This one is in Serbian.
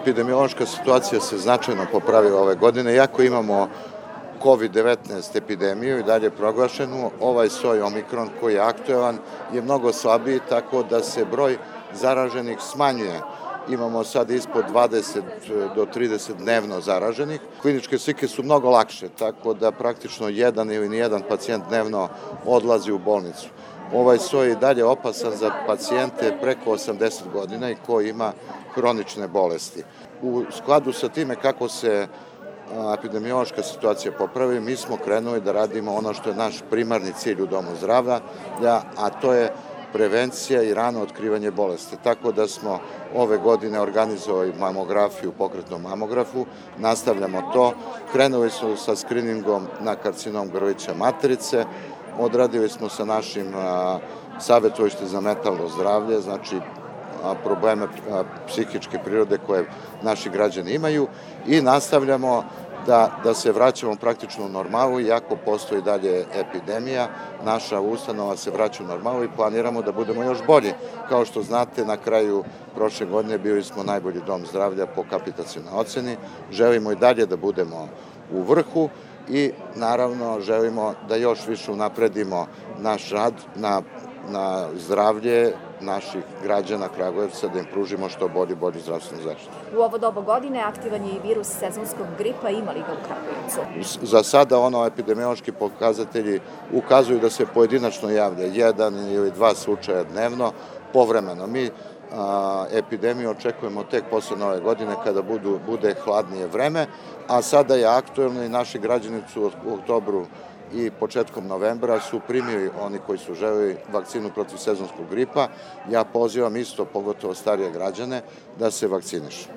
Epidemiološka situacija se značajno popravila ove godine, iako imamo COVID-19 epidemiju i dalje proglašenu, ovaj soj Omikron koji je aktuelan je mnogo slabiji, tako da se broj zaraženih smanjuje. Imamo sad ispod 20 do 30 dnevno zaraženih. Kliničke slike su mnogo lakše, tako da praktično jedan ili nijedan pacijent dnevno odlazi u bolnicu. Ovaj soj je dalje opasan za pacijente preko 80 godina i koji ima hronične bolesti. U skladu sa time kako se epidemiološka situacija popravi, mi smo krenuli da radimo ono što je naš primarni cilj u Domu zdravlja, a to je prevencija i rano otkrivanje bolesti. Tako da smo ove godine organizovali mamografiju, pokretnom mamografu, nastavljamo to. Krenuli smo sa skriningom na karcinom grlića materice, odradili smo sa našim savjetovalištem za mentalno zdravlje, znači probleme psihičke prirode koje naši građani imaju i nastavljamo da se vraćamo praktično u normalu, iako postoji dalje epidemija, naša ustanova se vraća u normalu i planiramo da budemo još bolji. Kao što znate, na kraju prošle godine bili smo najbolji dom zdravlja po kapitacionoj oceni, želimo i dalje da budemo u vrhu i naravno želimo da još više unapredimo naš rad na zdravlje naših građana Kragujevca, da im pružimo što bolju zdravstvenu zaštitu. U ovo doba godine aktivan je i virus sezonskog gripa, ima li ga u Kragujevcu? Za sada epidemiološki pokazatelji ukazuju da se pojedinačno javlja jedan ili dva slučaja dnevno, povremeno. Mi epidemiju očekujemo tek posle nove godine kada bude hladnije vreme, a sada je aktuelno i naši građani su u oktobru i početkom novembra su primili, oni koji su želeli, vakcinu protiv sezonskog gripa. Ja pozivam isto, pogotovo starije građane, da se vakcinišu.